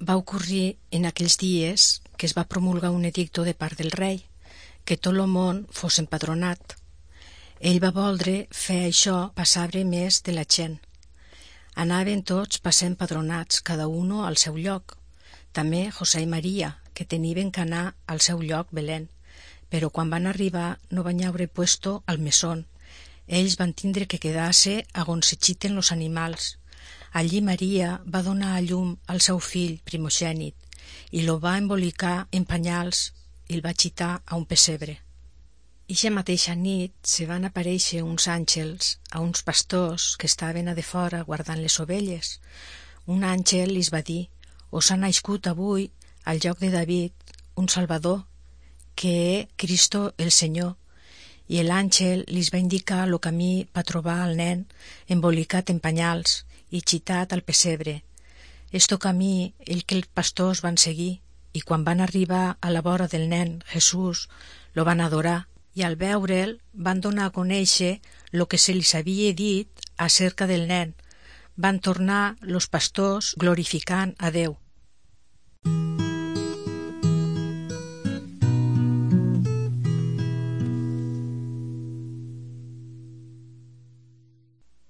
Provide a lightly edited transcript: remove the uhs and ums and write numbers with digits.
Va ocórrer en aquells dies que es va promulgar un edicto de part del rei, que tot el món fos empadronat. Ell va voldre fer això passar-hi més de la gent. Anaven tots passar empadronats, cada uno al seu lloc. També José i Maria, que tenien que anar al seu lloc Belén, però quan van arribar no van haver puesto al mesón. Ells van tindre que quedar-se a on se xiten los animals. Allí Maria va donar a llum al seu fill primogènit i lo va embolicar en panyals i el va xitar a un pessebre. Ixa mateixa nit se van aparèixer uns àngels a uns pastors que estaven a de fora guardant les ovelles. Un àngel li va dir: «Us ha nascut avui, al lloc de David, un Salvador, que és Cristo el Senyor». I l'àngel li va indicar el camí per trobar el nen embolicat en panyals i xitat al pessebre. Esto camí el que els pastors van seguir, i quan van arribar a la vora del nen Jesús, lo van adorar, i al veure'l van donar a conèixer lo que se li havia dit acerca del nen. Van tornar los pastors glorificant a Déu.